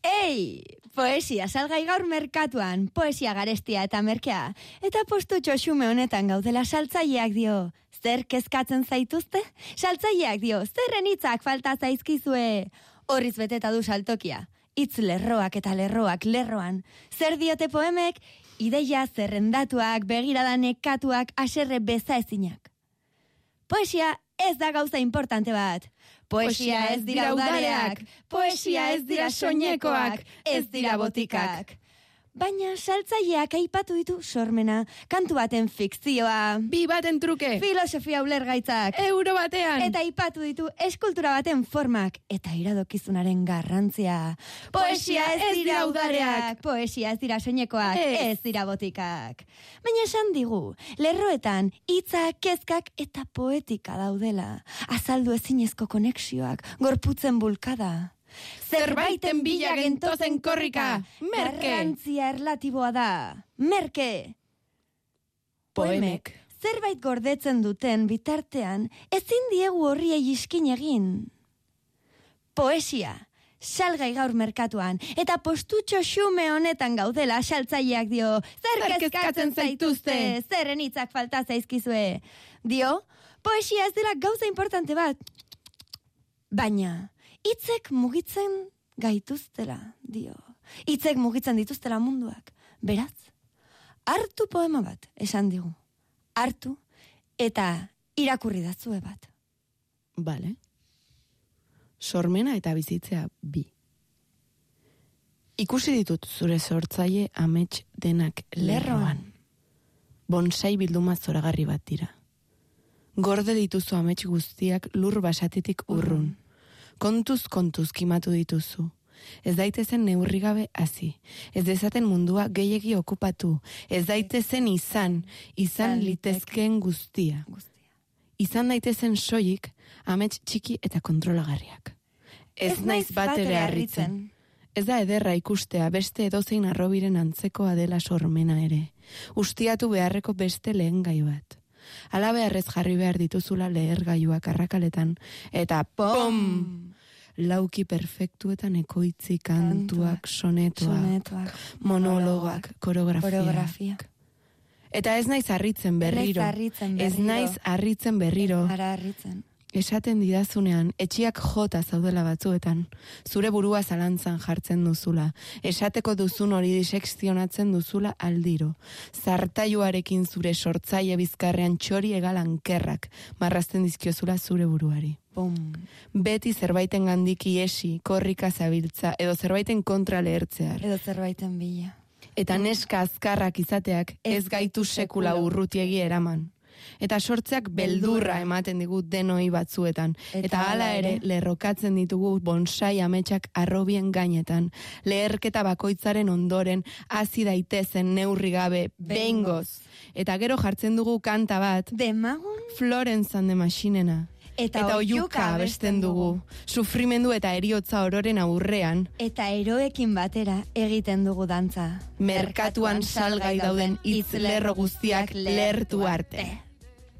Ei, poesia salgai gaur merkatuan, poesia garestia eta merkea. Eta postutxo xume honetan gaudela saltzaileak dio. Zer kezkatzen zaituzte? Saltzaileak dio, zerren hitzak falta zaizkizue. Horriz beteta du saltokia. Hitz lerroak eta lerroak lerroan. Zer diote poemek? Ideia zerrendatuak, begirada nekatuak, haserre bezaezinak. Poesia ez da gauza importante bat. Poesia ez dira udareak, poesia ez dira soinekoak, ez dira botikak. Baina saltzaileak aipatu ditu sormena, kantu baten fikzioa, bi baten truke, filosofia ulergaitzak, euro batean, eta aipatu ditu eskultura baten formak eta iradokizunaren garrantzia. Poesia ez dira udareak, poesia ez dira soinekoak, ez dira botikak. Baina esan digu, lerroetan hitzak, kezkak eta poetika daudela. Azaldu ezinezko konexioak, gorputzen bulkada. Zerbaiten bila gentozen korrika, merke. Garrantzia erlatiboa da, merke. Poemek. Zerbait gordetzen duten bitartean, ezin diegu horriei iskin egin. Poesia, salgai gaur merkatuan, eta postutxo xume honetan gaudela saltzaileak dio, zer kezkatzen zaituzte, zerren hitzak falta zaizkizue. Dio, poesia ez dela gauza importante bat, baina hitzek mugitzen gaituztela, dio. Hitzek mugitzen dituztela munduak. Beraz, hartu poema bat, esan digu. Hartu eta irakurri dazue bat. Bale. Sormena eta bizitzea bi. Ikusi ditut zure sortzaile amets denak lerroan. Bonsai bilduma zoragarri bat dira. Gorde dituzu amets guztiak lur basatitik urrun. Kontuz kimatu dituzu. Ez daitezen neurrigabe hasi. Ez dezaten mundua gehiegi okupatu. Ez daitezen izan litezkeen guztia. Izan daitezen soilik amets txiki eta kontrolagarriak. Ez naiz bat ere harritzen. Ez da ederra ikustea beste edozein arrobiren antzekoa dela sormena ere. Ustiatu beharreko beste lehengai bat. Ala beharrez jarri behar dituzula lehergailuak arrakaletan, eta pom! Lauki perfektuetan ekoitzi kantuak, sonetoak, monologoak, koreografiak. Eta ez naiz harritzen berriro. Ez naiz harritzen berriro. Esaten didazunean, etxiak jota zaudela batzuetan, zure burua zalantzan jartzen duzula, esateko duzun hori disekzionatzen duzula aldiro, zartailuarekin zure sortzaile bizkarrean txori egalan kerrak, marrazten dizkiozula zure buruari. Bum. Beti zerbaiten gandik iesi, korrika zabiltza, edo zerbaiten kontra lehertzear. Edo zerbaiten bila. Eta neska azkarrak izateak ez gaitu sekula urrutiegi eraman. Eta sortzeak beldurra ematen digu denoi batzuetan. Eta hala ere, lerrokatzen ditugu bonsai ametsak arrobien gainetan. Leherketa bakoitzaren ondoren, hasi daitezen neurri gabe, behingoz. Eta gero jartzen dugu kanta bat, Demagun? Florence and the Machinena. Eta oiuka abesten dugu. Sufrimendu eta eriotza ororen aurrean. Eta eroekin batera egiten dugu dantza. Merkatuan salgai dauden hitz lerro guztiak lertu arte.